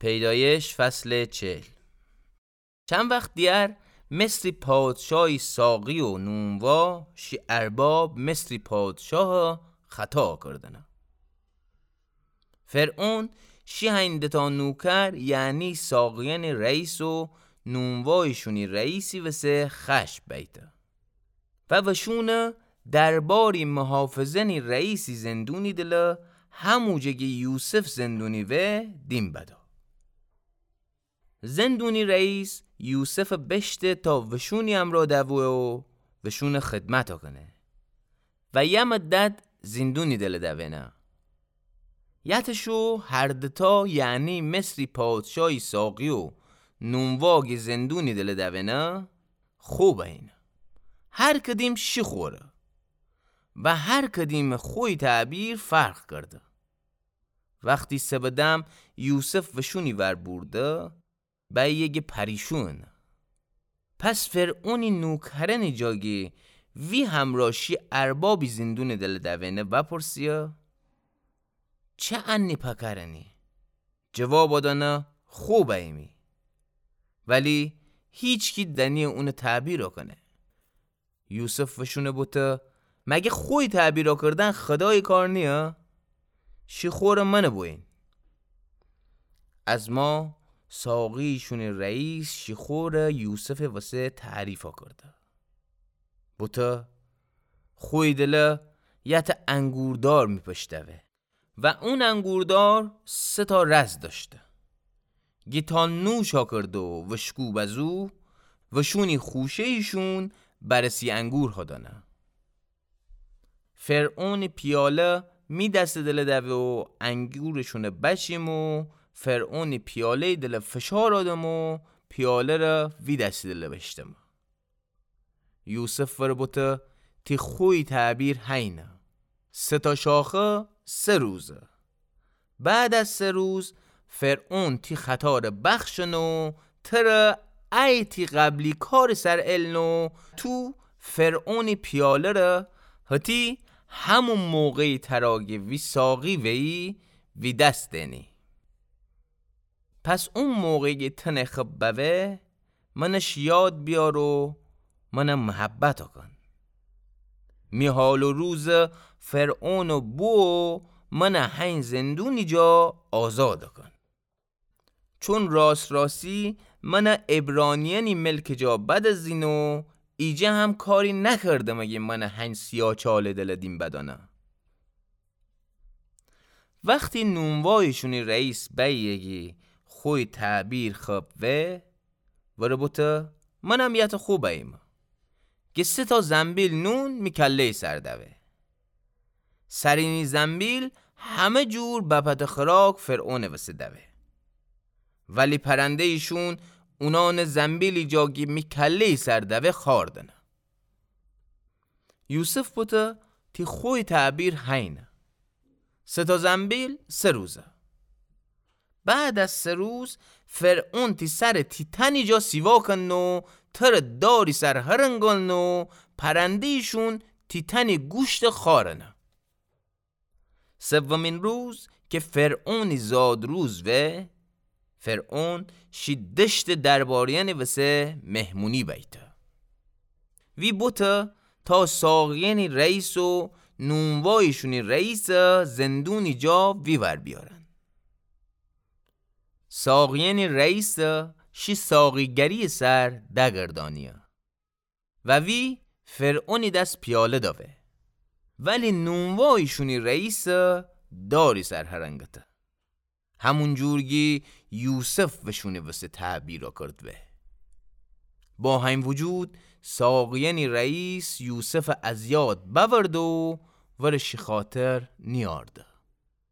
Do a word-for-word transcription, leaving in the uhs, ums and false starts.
پیدایش فصل چهل. چند وخت دیگر مصری پادشاهی ساقی و نونوا شی ارباب مصری پادشاه خطا کردنه. فرعون شی هین دتا نوکر، یعنی ساقیانی رئیس و نونوایشونی رئیسی وسه خشم بیته و وشونه درباری محافظانی رئیسی زندونی‌دله، هموجه گی یوسف زندونی‌وه دیم بده. زندونی رئیس یوسف بشته تا وشونی امرا دوه و وشون خدمتا کنه و یه مدت زندونی‌دله دوینه. یتشو هر دتا، یعنی مصری پادشاهی ساقی و نونوا گی زندونی‌دله دوینه، خو بینه. هر کدیم شی خوره و هر کدیم خوی تعبیر فرق کرده. وختی سبدم یوسف وشونی ور بورده، بیه گی پریشون. پس فرعونی نوکرانی جا گی وی همرا شی اربابی زندونی‌دله دوینه وپرسیه: چه انی پکرنی؟ جوابا دانه: خو بیمی. ولی هیچکی دنیه اونه تعبیرا کنه. یوسف وشونه بوته: مگه خوی تعبیرا کردن خدایی کار نیه؟ شی خوره منه بوین. از ما ساقیشونی رئیس شی خوره یوسف وسه تعریفا کرده. بوته: خوی‌دله یه تا انگوردار می‌پشتوه و اون انگوردار سه تا رز داشته. گی تا نوشا کرده و وشکو بزو، وشونی خوشه‌یشون برسی انگور هادانه. فرعونی پیاله می دستی‌دله دوه و انگورشونه بچیم و فرعونی پیاله‌ی‌دله فشار آدم و پیاله ره وی دستی‌دله بشتم. یوسف وره بوته: تی خوی تعبیر هینه. سه تا شاخه سه روزه. بعد از سه روز فرعون تی خطاره بخشن و تره ای تی قبلی کار سر الن و تو فرعونی پیاله ره هتی همون موقعی ترا گی وی ساقی ویی وی دست دینی. پس اون موقع گی تنه خب بوه، منش یاد بیار و منه محبتا کن. می حال و روز فرعون و بو و منه هین زندونی جا آزاد کن. چون راست راستی منه عبرانیانی ملک جا بدزین و ایجه هم کاری نکردم اگه منه هین سیاچاله دل دیم بدانه. وختی نونوایشونی رئیس بیه گی خوی تعبیر خب وه، وره بوته: منم یه تا خو بیم. گی سه تا زنبیل نون می کله‌ی سر دوه. سرینی زنبیل همه جور بپت خوراک فرعون وسه دوه. ولی پرنده‌یشون اونان زنبیلی جا گی می کله‌ی سر دوه خوردنه. یوسف بوته: تی خوی تعبیر هینه. سه تا زنبیل سه روزه. بعد از سه روز فرعون تی سر تی تنی جا سیوا کن و تر داری سر هرنگان و پرنده‌یشون تی تنی گوشت خارنه. سومین روز که فرعونی زاد روز وه، فرعون شی دشت درباریانی وسه مهمونی بیته. وی بوته تا ساقیانی رئیس و نونوایشونی رئیس زندونی جا وی ور بیارن. ساقیانی رئیس شی ساقیگری سر دگردانیه. و وی فرعونی دس پیاله داوه. ولی نونوایشونی رئیس داری سر هرنگته. همون جور گی یوسف وشونی وسه تعبیر کرد وه. با هین وجود ساقیانی رئیس یوسف از یاد بورد و ورشی خاطر نیارده.